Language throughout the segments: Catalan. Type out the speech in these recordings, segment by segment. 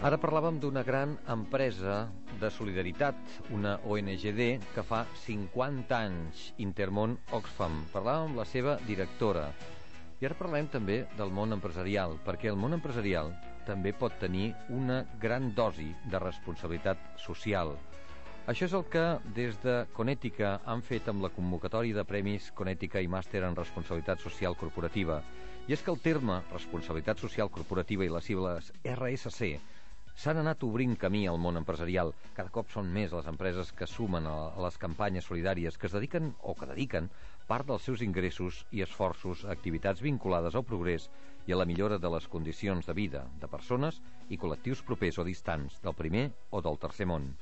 Ara parlàvem d'una gran empresa de solidaritat, una ONGD que fa 50 anys, Intermón Oxfam. Parlàvem amb la seva directora. I ara parlem també del món empresarial, perquè el món empresarial també pot tenir una gran dosi de responsabilitat social. Això és el que des de Conètica han fet amb la convocatòria de premis Conètica i Màster en Responsabilitat Social Corporativa. I és que el terme Responsabilitat Social Corporativa i les sigles RSC s'han anat obrint camí al món empresarial. Cada cop són més les empreses que sumen a les campanyes solidàries, que es dediquen o que dediquen part dels seus ingressos i esforços a activitats vinculades al progrés i a la millora de les condicions de vida de persones i col·lectius propers o distants del primer o del tercer món.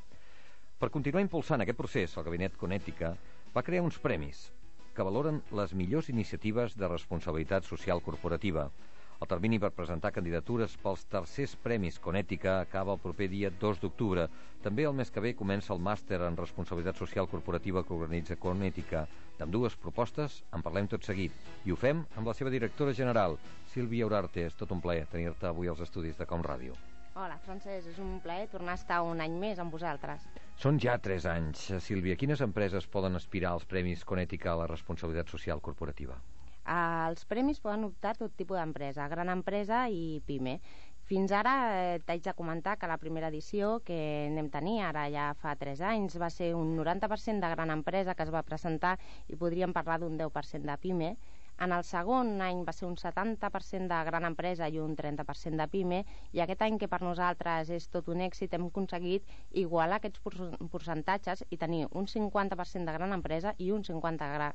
Per continuar impulsant aquest procés, el Gabinet Conètica va crear uns premis que valoren les millors iniciatives de responsabilitat social corporativa. El termini per presentar candidatures pels tercers premis Conètica acaba el proper dia 2 d'octubre. També el mes que ve comença el màster en responsabilitat social corporativa que organitza Conètica. D'ambdues propostes en parlem tot seguit. I ho fem amb la seva directora general, Sílvia Urarte. És tot un plaer tenir-te avui als estudis de Com Ràdio. Hola, Francesc, és un plaer tornar a estar un any més amb vosaltres. Són ja 3 anys. Sílvia, quines empreses poden aspirar als premis Conètica a la responsabilitat social corporativa? Els premis poden optar tot tipus d'empresa, gran empresa i PIME. Fins ara t'haig de comentar que la primera edició que anem tenir, ara ja fa 3 anys, va ser un 90% de gran empresa que es va presentar i podríem parlar d'un 10% de PIME. En el segon any va ser un 70% de gran empresa i un 30% de PIME, i aquest any, que per nosaltres és tot un èxit, hem aconseguit igualar aquests percentatges i tenir un 50% de gran empresa i un 50%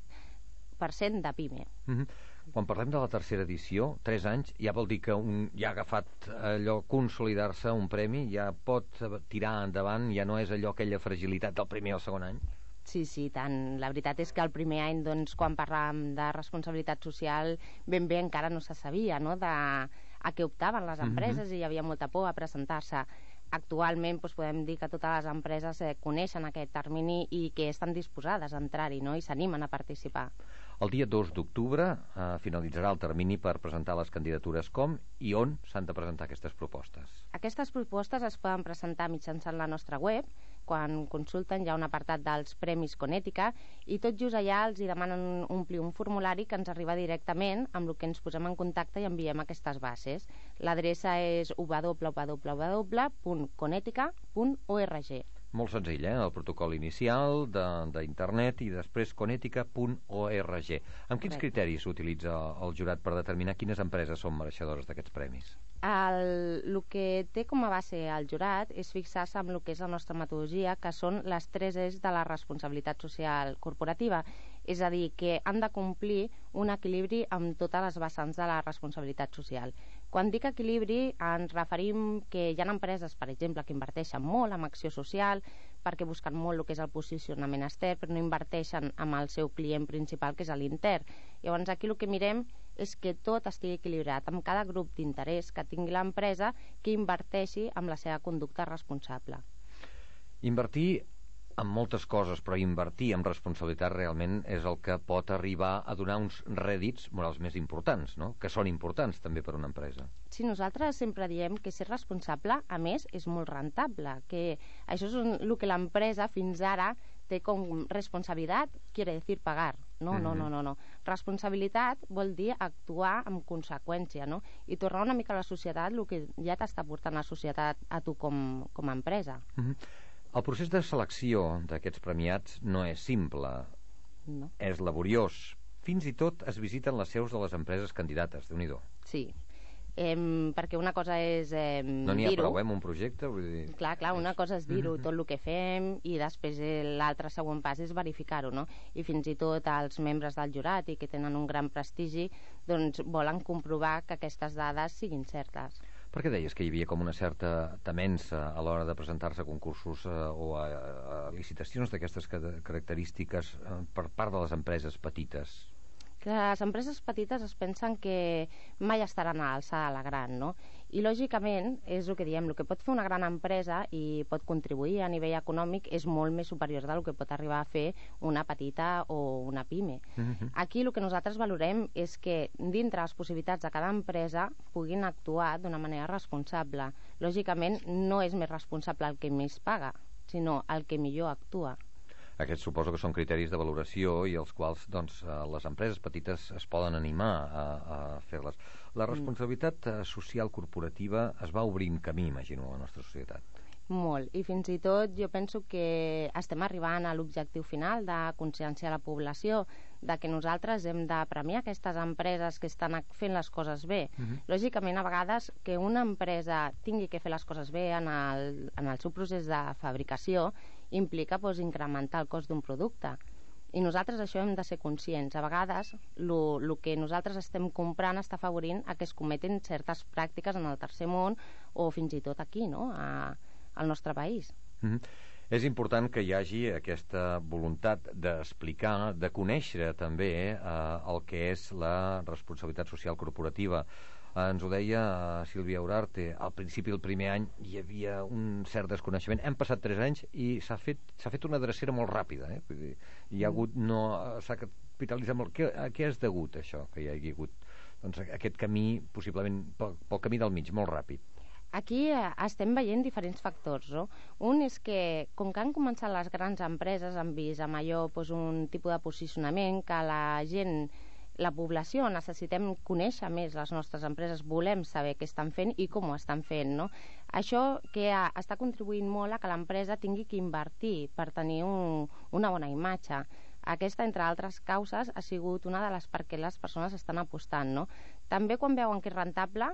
de PIME. Quan parlem de la tercera edició, 3 anys, ja vol dir que ja ha agafat allò, consolidar-se un premi, ja pot tirar endavant, ja no és allò, aquella fragilitat del primer o el segon any? Sí, tant. La veritat és que el primer any, doncs, quan parlàvem de responsabilitat social, ben bé encara no se sabia, no?, a què optaven les empreses, i hi havia molta por a presentar-se. Actualment podem dir que totes les empreses coneixen aquest termini i que estan disposades a entrar-hi, no?, i s'animen a participar. El dia 2 d'octubre finalitzarà el termini per presentar les candidatures. Com i on s'han de presentar aquestes propostes? Aquestes propostes es poden presentar mitjançant la nostra web. Quan consulten hi ha un apartat dels Premis Conètica i tot just allà els hi demanen omplir un formulari que ens arriba directament, amb el que ens posem en contacte i enviem aquestes bases. L'adreça és www.conetica.org. Molt senzill, el protocol inicial d'internet i després conetica.org. Amb quins criteris s'utilitza el jurat per determinar quines empreses són mereixedores d'aquests premis? El que té com a base el jurat és fixar-se en el que és la nostra metodologia, que són les 3 E's de la responsabilitat social corporativa. És a dir, que han de complir un equilibri amb totes les vessants de la responsabilitat social. Quan dic equilibri ens referim que hi ha empreses, per exemple, que inverteixen molt en acció social perquè busquen molt el que és el posicionament extern, però no inverteixen amb el seu client principal, que és l'intern. Llavors aquí el que mirem és que tot estigui equilibrat, amb cada grup d'interès que tingui l'empresa que inverteixi amb la seva conducta responsable. Invertir en moltes coses, però invertir en responsabilitat realment és el que pot arribar a donar uns rèdits morals més importants, no?, que són importants també per una empresa. Sí, nosaltres sempre diem que ser responsable, a més, és molt rentable, que això és el que l'empresa fins ara té com responsabilitat, quiere decir pagar. No. Responsabilitat vol dir actuar amb conseqüència, no?, i tornar una mica a la societat el que ja t'està portant la societat a tu com a empresa. El procés de selecció d'aquests premiats no és simple, no. És laboriós. Fins i tot es visiten les seus de les empreses candidates, Déu-n'hi-do. Sí, perquè una cosa és no n'hi ha prou, un projecte? Vull dir... Clar, una cosa és dir-ho, tot el que fem, i després l'altre següent pas és verificar-ho, no? I fins i tot els membres del jurat, i que tenen un gran prestigi, doncs volen comprovar que aquestes dades siguin certes. Per què deies que hi havia com una certa temença a l'hora de presentar-se a concursos o a licitacions d'aquestes característiques per part de les empreses petites? Les empreses petites es pensen que mai estaran a l'alçada de la gran, no? I, lògicament, és el que diem, el que pot fer una gran empresa i pot contribuir a nivell econòmic és molt més superior del que pot arribar a fer una petita o una pime. Aquí el que nosaltres valorem és que dintre les possibilitats de cada empresa puguin actuar d'una manera responsable. Lògicament, no és més responsable el que més paga, sinó el que millor actua. Aquests suposo que són criteris de valoració i els quals les empreses petites es poden animar a fer-les. La responsabilitat social corporativa es va obrint camí, imagino, a la nostra societat. Molt, i fins i tot jo penso que estem arribant a l'objectiu final de conscienciar la població de que nosaltres hem de premiar aquestes empreses que estan fent les coses bé. Lògicament, a vegades, que una empresa tingui que fer les coses bé en el seu procés de fabricació implica incrementar el cost d'un producte. I nosaltres això hem de ser conscients. A vegades, el que nosaltres estem comprant està afavorint a que es cometen certes pràctiques en el tercer món o fins i tot aquí, no?, al nostre país. És important que hi hagi aquesta voluntat d'explicar, de conèixer també el que és la responsabilitat social corporativa. Ens ho deia Sílvia Urarte, al principi del primer any hi havia un cert desconeixement. Hem passat 3 anys i s'ha fet una drecera molt ràpida. Vull dir, hi ha hagut, s'ha capitalitzat molt. A què és degut això, que hi hagi hagut aquest camí, possiblement pel camí del mig, molt ràpid? Aquí estem veient diferents factors, no? Un és que, com que han començat les grans empreses, han vist amb allò un tipus de posicionament que la població necessitem conèixer més les nostres empreses, volem saber què estan fent i com ho estan fent, no? Això que està contribuint molt a que l'empresa tingui que invertir per tenir una bona imatge. Aquesta, entre altres causes, ha sigut una de les per què les persones estan apostant, no? També quan veuen que és rentable,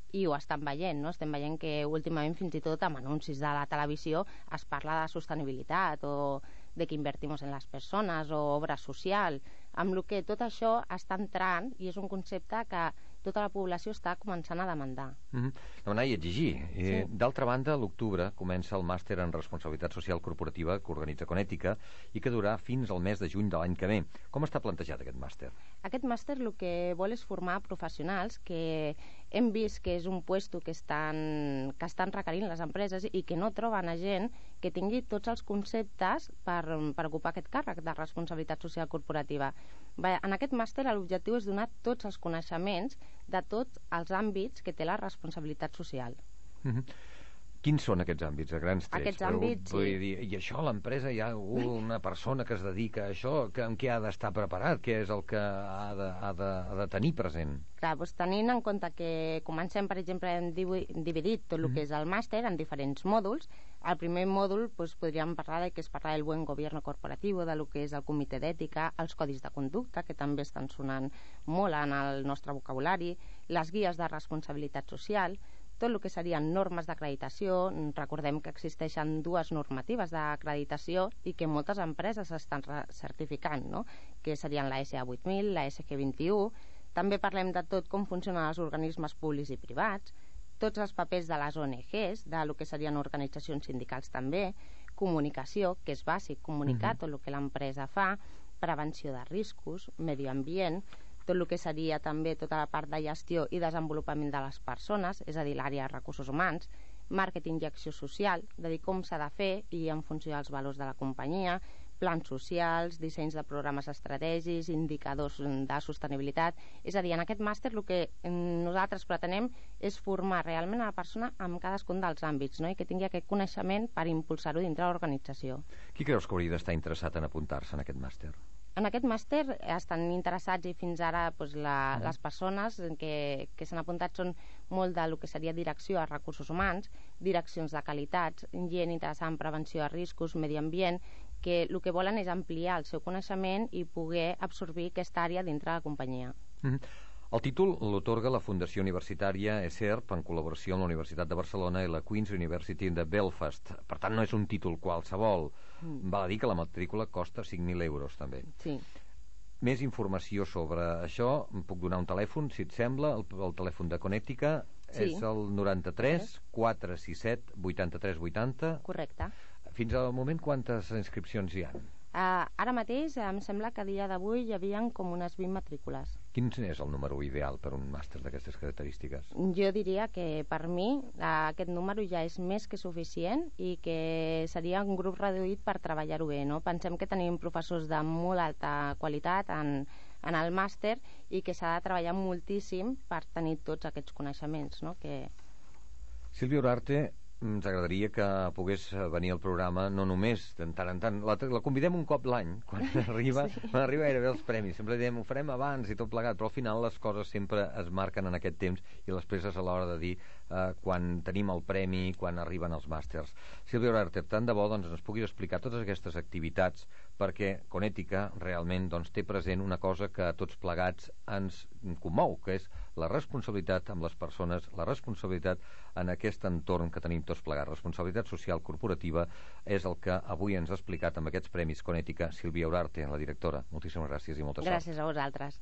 i ho estan veient, no? Estem veient que últimament fins i tot amb anuncis de la televisió es parla de sostenibilitat o de que invertimos en les persones o obra social, amb el que tot això està entrant i és un concepte que tota la població està començant a demandar. Demanar i exigir. Sí. D'altra banda, a l'octubre comença el màster en responsabilitat social corporativa que organitza Conètica i que durarà fins al mes de juny de l'any que ve. Com està plantejat aquest màster? Aquest màster el que vol és formar professionals que hem vist que és un puesto que estan requerint les empreses i que no troben a gent que tingui tots els conceptes per ocupar aquest càrrec de responsabilitat social corporativa. En aquest màster l'objectiu és donar tots els coneixements de tots els àmbits que té la responsabilitat social. Quins són aquests àmbits, a grans trets? Aquests àmbits, vull dir, i això, a l'empresa hi ha una persona que es dedica a això, en què ha d'estar preparat? Què és el que ha de tenir present? Clar, doncs tenint en compte que comencem, per exemple, hem dividit tot el que és el màster en diferents mòduls. Al primer mòdul podríem parlar de que es parla del buen gobierno corporativo, de lo que és el comitè d'ètica, els codis de conducta, que també estan sonant molt en el nostre vocabulari, les guies de responsabilitat social, tot el que serien normes d'acreditació. Recordem que existeixen 2 normatives d'acreditació i que moltes empreses estan certificant, no?, que serien la SA 8000, la SG 21. També parlem de tot com funcionen els organismes públics i privats, tots els papers de les ONGs, de lo que serien organitzacions sindicals també, comunicació, que és bàsic, comunicar tot el que l'empresa fa, prevenció de riscos, medi ambient, tot el que seria també tota la part de gestió i desenvolupament de les persones, és a dir, l'àrea de recursos humans, màrqueting i acció social, de dir com s'ha de fer i en funció dels valors de la companyia, plans socials, dissenys de programes estratègics, indicadors de sostenibilitat. És a dir, en aquest màster el que nosaltres pretenem és formar realment a la persona en cadascun dels àmbits, no?, i que tingui aquest coneixement per impulsar-ho dintre l'organització. Qui creus que hauria d'estar interessat en apuntar-se en aquest màster? En aquest màster estan interessats i fins ara les persones que s'han apuntat són molt del que seria direcció a recursos humans, direccions de qualitats, gent interessada en prevenció de riscos, medi ambient, que el que volen és ampliar el seu coneixement i poder absorbir aquesta àrea dintre de la companyia. El títol l'otorga la Fundació Universitària ESERP en col·laboració amb la Universitat de Barcelona i la Queen's University de Belfast. Per tant, no és un títol qualsevol. Val a dir que la matrícula costa 5.000 euros, també. Sí. Més informació sobre això, em puc donar un telèfon, si et sembla, el telèfon de Conètica és el 93 467 83 80. Correcte. Fins al moment, quantes inscripcions hi ha? Ara mateix em sembla que a dia d'avui hi havia com unes 20 matrícules. Quin és el número ideal per un màster d'aquestes característiques? Jo diria que per mi aquest número ja és més que suficient i que seria un grup reduït per treballar-ho bé, no? Pensem que tenim professors de molt alta qualitat en el màster i que s'ha de treballar moltíssim per tenir tots aquests coneixements, no? Sílvia Urarte, ens agradaria que pogués venir al programa, no només de tant en tant. La convidem un cop l'any, quan arriba, sí. Quan arriba gairebé els premis. Sempre diem, ho farem abans i tot plegat, però al final les coses sempre es marquen en aquest temps i les presses a l'hora de dir quan tenim el premi, quan arriben els màsters. Sílvia Urarte, tant de bo doncs, ens puguis explicar totes aquestes activitats, perquè Conètica realment doncs, té present una cosa que a tots plegats ens commou, que és la responsabilitat amb les persones, la responsabilitat en aquest entorn que tenim tots plegats. Responsabilitat social corporativa és el que avui ens ha explicat amb aquests premis Conètica Sílvia Urarte, la directora. Moltíssimes gràcies i molta sort. Gràcies a vosaltres.